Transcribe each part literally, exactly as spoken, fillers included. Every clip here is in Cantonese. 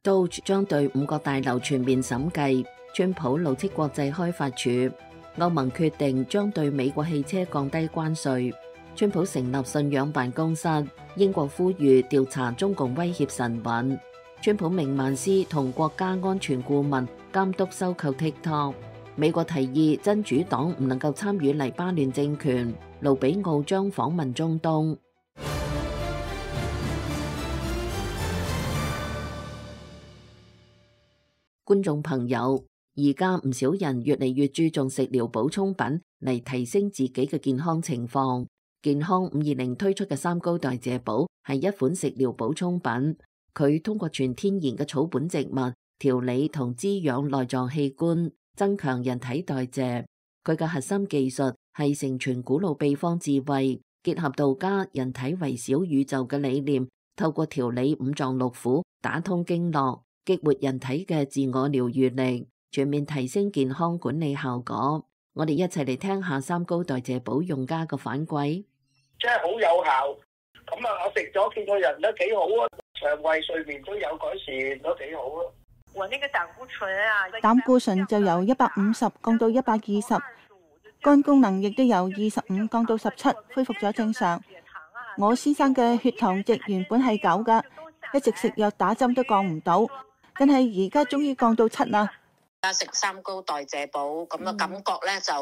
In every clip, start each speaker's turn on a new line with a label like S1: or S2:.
S1: Doge 將對五角大樓全面審計，川普怒斥國際開發署，歐盟決定將對美國汽車降低關稅，川普成立信仰辦公室，英國呼籲調查中共威脅神韻，川普命曼斯同國家安全顧問監督收購 TikTok， 美國提議真主黨唔能夠參與黎巴嫩政權，盧比奧將訪問中東。觀眾朋友，而家唔少人越嚟越注重食療補充品嚟提升自己嘅健康情況。健康五二零推出嘅三高代謝寶係一款食療補充品，佢通過全天然嘅草本植物調理同滋養內臟器官，增強人體代謝。佢嘅核心技術係承傳古老秘方智慧，結合道家人體為小宇宙嘅理念，透過調理五臟六腑，打通經絡，激活人體嘅自我療愈力，全面提升健康管理效果。我哋一齊嚟聽下三高代謝寶用家嘅反饋。
S2: 真係好有效，咁啊，我食咗見個人都幾好啊，腸胃睡眠都有改善，都幾好啊。
S3: 我那個膽固醇啊，
S4: 膽固醇就由一百五十降到一百二十，肝功能亦都由二十五降到十七，恢復咗正常。我先生嘅血糖值原本係九噶，一直食藥打針都降唔到，但係而家終於降到七啦。
S5: 而家食三高代謝寶咁嘅感覺咧，就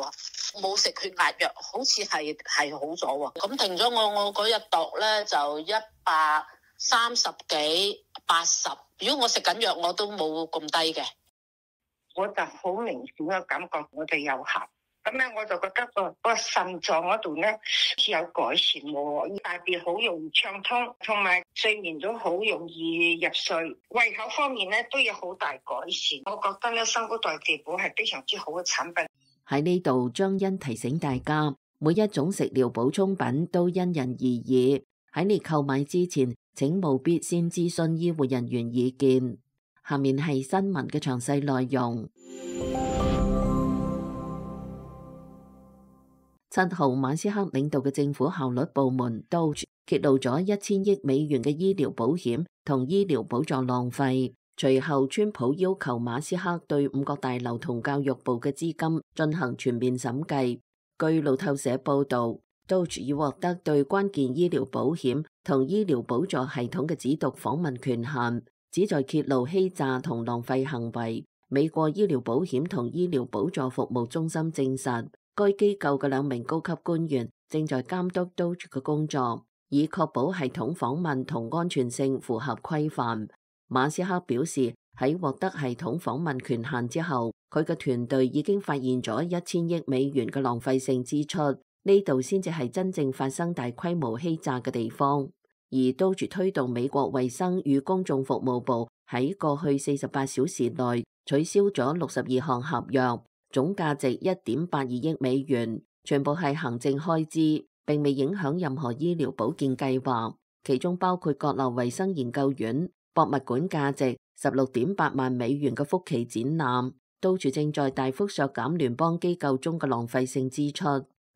S5: 冇食血壓藥，好似係係好咗喎。咁停咗我我嗰日度咧就一百三十幾八十。如果我食緊藥，我都冇咁低嘅。
S6: 我就好明顯嘅感覺，我哋有效。咁咧我就覺得個個腎臟嗰度咧似有改善喎，大便好容易暢通，同埋睡眠都好容易入睡，胃口方面咧都有好大改善。我覺得咧三高代謝寶係非常之好嘅產品。
S1: 喺呢度，張欣提醒大家，每一種食療補充品都因人而異，喺你購買之前，請務必先諮詢醫護人員意見。下面係新聞嘅詳細內容。七號，馬斯克領導嘅政府效率部門 Doge 揭露咗一千億美元嘅醫療保險同醫療補助浪費。隨後，川普要求馬斯克對五角大樓同教育部嘅資金進行全面審計。據路透社報道，Doge 已獲得對關鍵醫療保險同醫療補助系統嘅指讀訪問權限，旨在揭露欺詐同浪費行為。美國醫療保險同醫療補助服務中心證實，該機構嘅兩名高級官員正在監督 Doge 嘅工作，以確保系統訪問同安全性符合規範。馬斯克表示，喺獲得系統訪問權限之後，佢嘅團隊已經發現咗一千億美元嘅浪費性支出，呢度先至係真正發生大規模欺詐嘅地方。而 Doge 推動美國衛生與公眾服務部喺過去四十八小時內取消咗六十二項合約，總價值一點八二億美元，全部係行政開支，並未影響任何醫療保健計劃，其中包括國立衛生研究院、博物館價值十六點八萬美元嘅福奇展覽。Doge正在大幅削減聯邦機構中嘅浪費性支出。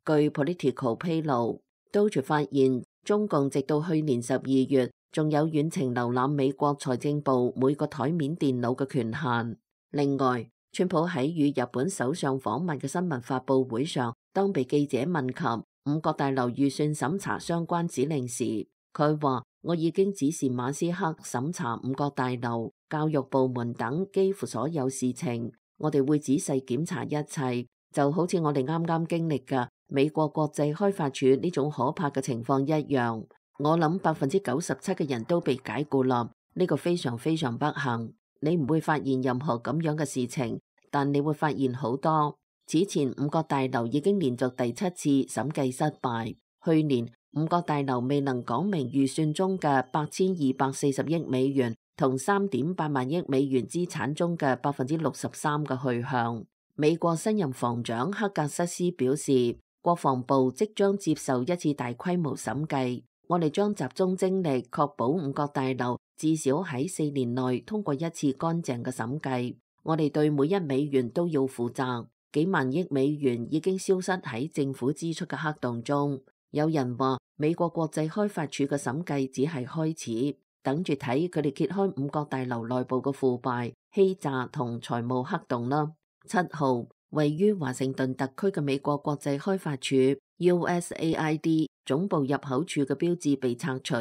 S1: 據 Politico 披露，Doge 發現中共直到去年十二月仲有遠程瀏覽美國財政部每個台面電腦嘅權限。另外，川普喺與日本首相訪問嘅新聞發佈會上，當被記者問及五角大樓預算審查相關指令時，佢話：我已經指示馬斯克審查五角大樓、教育部門等幾乎所有事情，我哋會仔細檢查一切，就好似我哋啱啱經歷嘅美國國際開發署呢種可怕嘅情況一樣。我諗百分之九十七嘅人都被解雇啦，呢個非常非常不幸。你唔會發現任何咁樣嘅事情，但你會發現好多。此前五角大樓已經連續第七次審計失敗。去年五角大樓未能講明預算中嘅八千二百四十億美元同三點八萬億美元資產中嘅百分之六十三嘅去向。美國新任防長克格瑟斯表示，國防部即將接受一次大規模審計，我哋將集中精力確保五角大樓至少喺四年內通過一次乾淨嘅審計。我哋對每一美元都要負責。幾萬億美元已經消失喺政府支出嘅黑洞中。有人話美國國際開發署嘅審計只係開始。等住睇佢哋揭開五角大樓內部嘅腐敗、欺詐同財務黑洞啦。七號，位於華盛頓特區嘅美國國際開發署 U S A I D 總部入口處嘅標誌被拆除。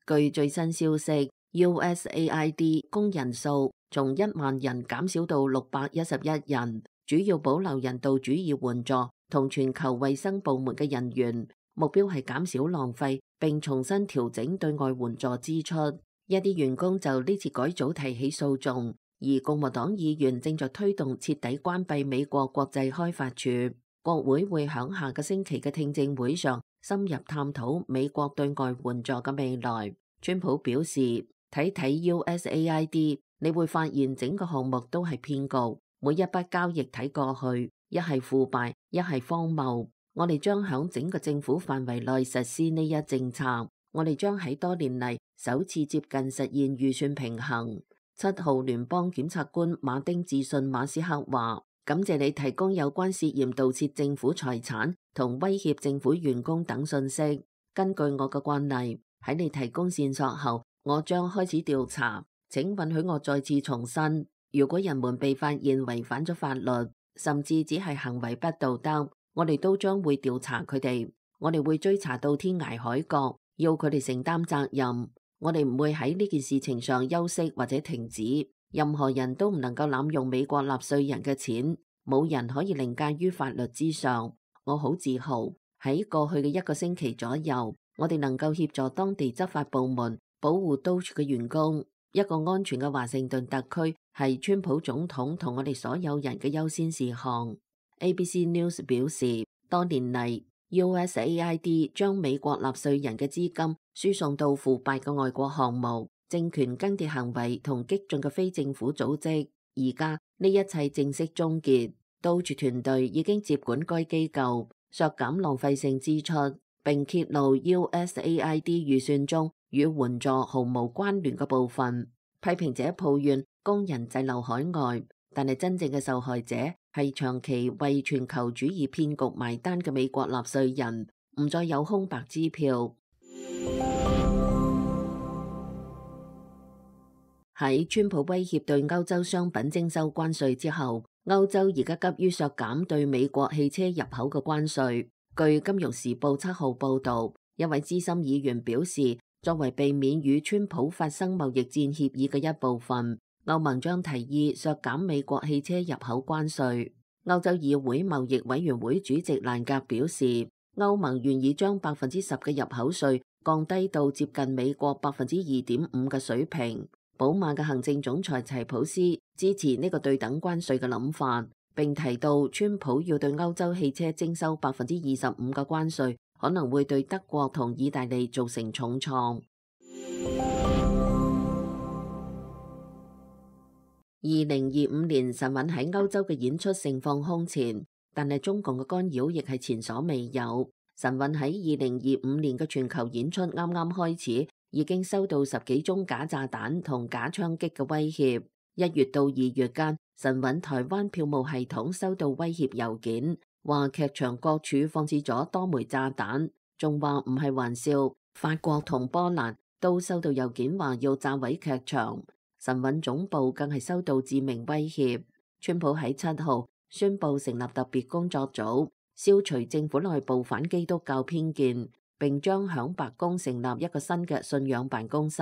S1: 據最新消息 ，U S A I D 工人數從一萬人減少到六百一十一人，主要保留人道主義援助同全球衛生部門嘅人員，目標係減少浪費並重新調整對外援助支出。一啲員工就呢次改組提起訴訟，而共和黨議員正在推動徹底關閉美國國際開發署。國會會響下個星期嘅聽證會上深入探討美國對外援助嘅未來。川普表示，睇睇 U S A I D， 你會發現整個項目都係騙局，每一筆交易睇過去，一係腐敗，一係荒謬。我哋將響整個政府範圍內實施呢一政策，我哋將喺多年嚟首次接近實現預算平衡。七號聯邦檢察官馬丁致信馬斯克話：感謝你提供有關涉嫌盜竊政府財產同威脅政府員工等信息。根據我嘅慣例，喺你提供線索後，我將開始調查。請允許我再次重申，如果人們被發現違反咗法律，甚至只係行為不道德，我哋都將會調查佢哋。我哋會追查到天涯海角，要佢哋承擔責任。我哋唔會喺呢件事情上休息或者停止。任何人都唔能夠濫用美國納稅人嘅錢，冇人可以凌駕於法律之上。我好自豪，喺過去嘅一個星期左右，我哋能夠協助當地執法部門保護 Doge 嘅員工。一個安全嘅華盛頓特區係川普總統同我哋所有人嘅優先事項。A B C News 表示，多年嚟 U S A I D 將美國納稅人嘅資金輸送到腐敗嘅外國項目、政權更迭行為同激進嘅非政府組織。而家呢一切正式終結。Doge團隊已經接管該機構，削減浪費性支出，並揭露 U S A I D 預算中與援助毫無關聯嘅部分。批評者抱怨工人滯留海外，但係真正嘅受害者係長期為全球主義騙局埋單嘅美國納稅人，唔再有空白支票。喺川普威脅對歐洲商品徵收關稅之後，歐洲而家急於削減對美國汽車入口嘅關稅。據《金融時報》七號報導，一位資深議員表示，作為避免與川普發生貿易戰協議嘅一部分，歐盟將提議削減美國汽車入口關稅。歐洲議會貿易委員會主席蘭格表示，歐盟願意將百分之十嘅入口稅降低到接近美國百分之二點五嘅水平。寶馬嘅行政總裁齊普斯支持呢個對等關稅嘅諗法，並提到川普要對歐洲汽車徵收百分之二十五嘅關稅，可能會對德國同意大利造成重創。二零二五年神韻喺歐洲嘅演出盛況空前，但係中共嘅干擾亦係前所未有。神韻喺二零二五年嘅全球演出啱啱開始，已經收到十幾宗假炸彈同假槍擊嘅威脅。一月到二月間，神韻台灣票務系統收到威脅郵件，話劇場各處放置咗多枚炸彈，仲話唔係玩笑。法國同波蘭都收到郵件，話要炸毀劇場。神韻總部更係收到致命威脅。川普喺七號宣布成立特別工作組，消除政府內部反基督教偏見，並將響白宮成立一個新嘅信仰辦公室。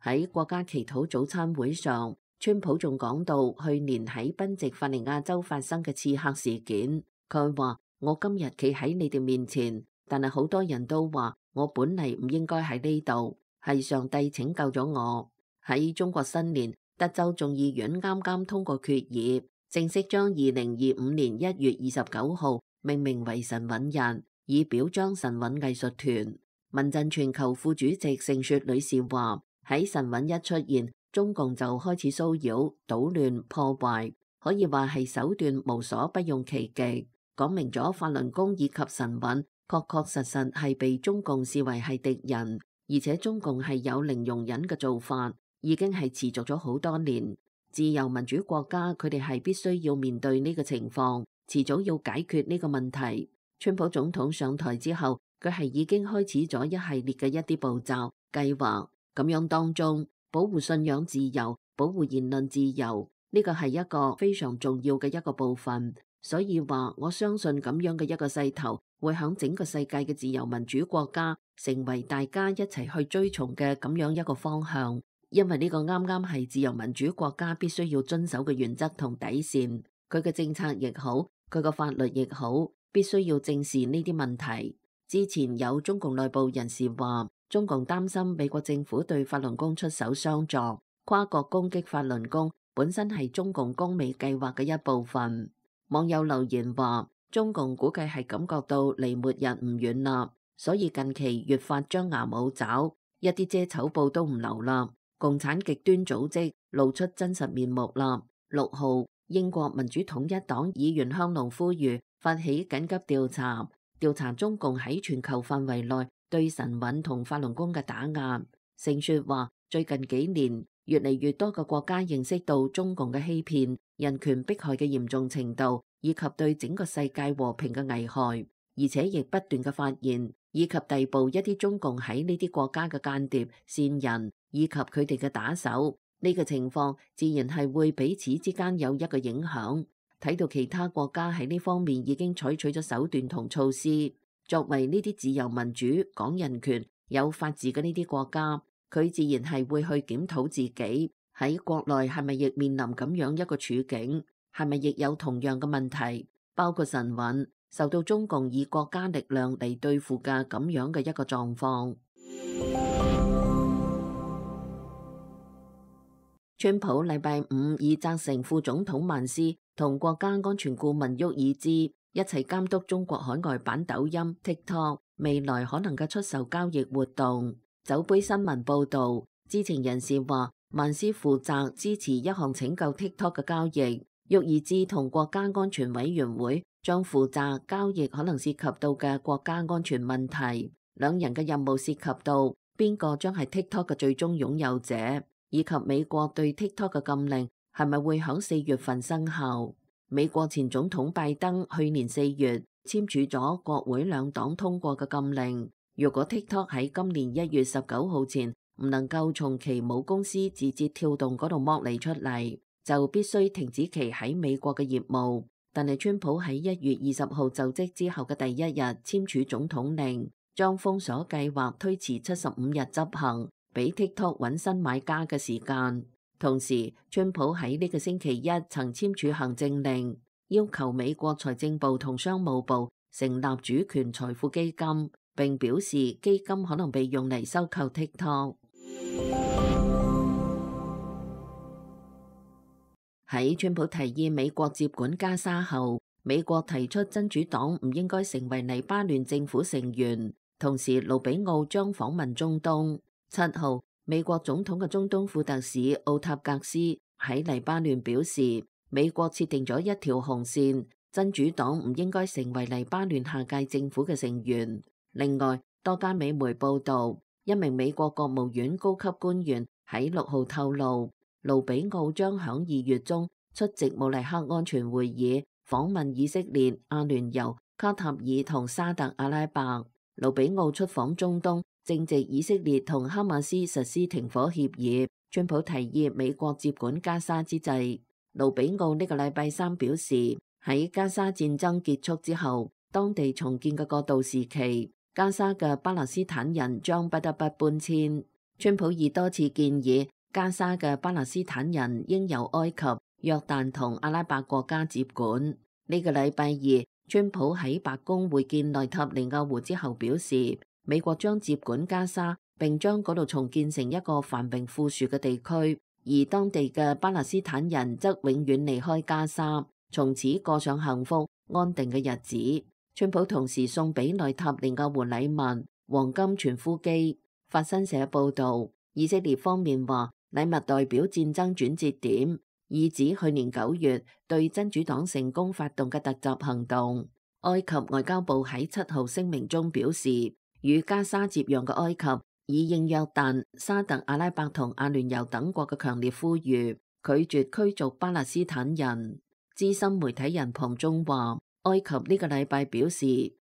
S1: 喺國家祈禱早餐會上，川普仲講到去年喺賓夕法尼亞州發生嘅刺客事件。佢話：我今日企喺你哋面前，但係好多人都話我本嚟唔應該喺呢度，係上帝拯救咗我。喺中國新年，德州眾議院啱啱通過決議，正式將二零二五年一月二十九號命名為神韻日，以表彰神韻藝術團。民陣全球副主席盛雪女士話：喺神韻一出現，中共就開始騷擾、搗亂、破壞，可以話係手段無所不用其極，講明咗法輪功以及神韻確確實實係被中共視為係敵人，而且中共係有零容忍嘅做法。已經係持續咗好多年。自由民主國家佢哋係必須要面對呢個情況，遲早要解決呢個問題。川普總統上台之後，佢係已經開始咗一系列嘅一啲步驟計劃。咁樣當中，保護信仰自由、保護言論自由，呢個係一個非常重要嘅一個部分。所以話，我相信咁樣嘅一個勢頭，會響整個世界嘅自由民主國家，成為大家一齊去追從嘅咁樣一個方向。因為呢個啱啱係自由民主國家必須要遵守嘅原則同底線，佢嘅政策亦好，佢嘅法律亦好，必須要正視呢啲問題。之前有中共內部人士話，中共擔心美國政府對法輪功出手相助，跨國攻擊法輪功本身係中共攻美計劃嘅一部分。網友留言話，中共估計係感覺到離末日唔遠啦，所以近期越發張牙舞爪，一啲遮醜布都唔留啦。共產極端組織露出真實面目啦。六號，英國民主統一黨議員香農呼籲發起緊急調查，調查中共喺全球範圍內對晨運同法輪功嘅打壓。盛雪話，最近幾年越嚟越多嘅國家認識到中共嘅欺騙、人權迫害嘅嚴重程度，以及對整個世界和平嘅危害，而且亦不斷嘅發現以及逮捕一啲中共喺呢啲國家嘅間諜、線人以及佢哋嘅打手。呢個情況自然係會彼此之間有一個影響。睇到其他國家喺呢方面已經採取咗手段同措施，作為呢啲自由民主、講人權、有法治嘅呢啲國家，佢自然係會去檢討自己喺國內係咪亦面臨咁樣一個處境，係咪亦有同樣嘅問題，包括晨運受到中共以國家力量嚟對付嘅咁樣嘅一個狀況。川普禮拜五已責成副總統曼斯同國家安全顧問沃爾茲一齊監督中國海外版抖音 TikTok 未來可能嘅出售交易活動。酒杯新聞報道，知情人士話，曼斯負責支持一項拯救 TikTok 嘅交易，沃爾茲同國家安全委員會將負責交易可能涉及到嘅國家安全問題。兩人嘅任務涉及到邊個將係 TikTok 嘅最終擁有者，以及美國對 TikTok 嘅禁令係咪會響四月份生效。美國前總統拜登去年四月簽署咗國會兩黨通過嘅禁令，如果 TikTok 喺今年一月十九號前唔能夠從其母公司字節跳動嗰度剝離出嚟，就必須停止其喺美國嘅業務。但係川普喺一月二十號就職之後嘅第一日簽署總統令，將封鎖計劃推遲七十五日執行，俾 TikTok 揾新買家嘅時間。同時，川普喺呢個星期一曾簽署行政令，要求美國財政部同商務部成立主權財富基金，並表示基金可能被用嚟收購 TikTok。喺川普提議美國接管加沙後，美國提出真主黨唔應該成為黎巴嫩政府成員，同時盧比奧將訪問中東。七號，美國總統嘅中東副特使奧塔格斯喺黎巴嫩表示，美國設定咗一條紅線，真主黨唔應該成為黎巴嫩下屆政府嘅成員。另外，多間美媒報道，一名美國國務院高級官員喺六號透露，盧比奧將響二月中出席慕尼黑安全會議，訪問以色列、阿聯酋、卡塔爾同沙特阿拉伯。盧比奧出訪中東，正值以色列同哈馬斯實施停火協議，川普提議美國接管加沙之際，盧比奧呢個禮拜三表示，喺加沙戰爭結束之後，當地重建嘅過渡時期，加沙嘅巴勒斯坦人將不得不搬遷。川普已多次建議加沙嘅巴勒斯坦人應由埃及、約旦同阿拉伯國家接管。呢個禮拜二，川普喺白宮會見內塔尼亞胡之後表示，美國將接管加沙，並將嗰度重建成一個繁榮富庶嘅地區，而當地嘅巴勒斯坦人則永遠離開加沙，從此過上幸福安定嘅日子。川普同時送俾內塔尼亞胡禮物黃金傳呼機。法新社報道，以色列方面話禮物代表戰爭轉折點，意指去年九月對真主黨成功發動嘅突襲行動。埃及外交部喺七號聲明中表示，與加沙接壤嘅埃及以應約旦、沙特阿拉伯同阿聯酋等國嘅強烈呼籲，拒絕驅逐巴勒斯坦人。資深媒體人龐中話，埃及呢個禮拜表示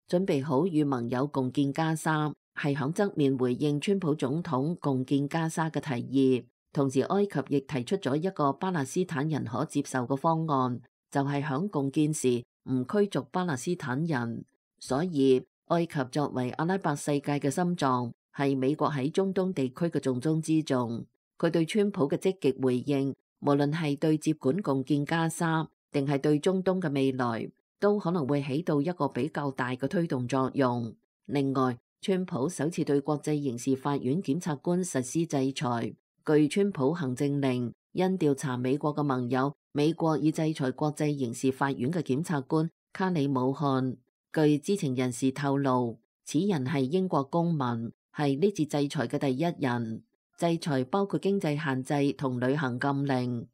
S1: 準備好與盟友共建加沙，係響側面回應川普總統共建加沙嘅提議，同時埃及亦提出咗一個巴勒斯坦人可接受嘅方案，就係響共建時唔驅逐巴勒斯坦人。所以埃及作為阿拉伯世界嘅心臟，係美國喺中東地區嘅重中之重。佢對川普嘅積極回應，無論係對接管共建加沙，定係對中東嘅未來，都可能會起到一個比較大嘅推動作用。另外，川普首次對國際刑事法院檢察官實施制裁。據川普行政令，因調查美國嘅盟友，美國已制裁國際刑事法院嘅檢察官卡里姆漢。據知情人士透露，此人係英國公民，係呢次制裁嘅第一人。制裁包括經濟限制同旅行禁令。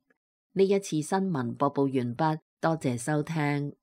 S1: 呢一次新聞播報完畢，多謝收聽。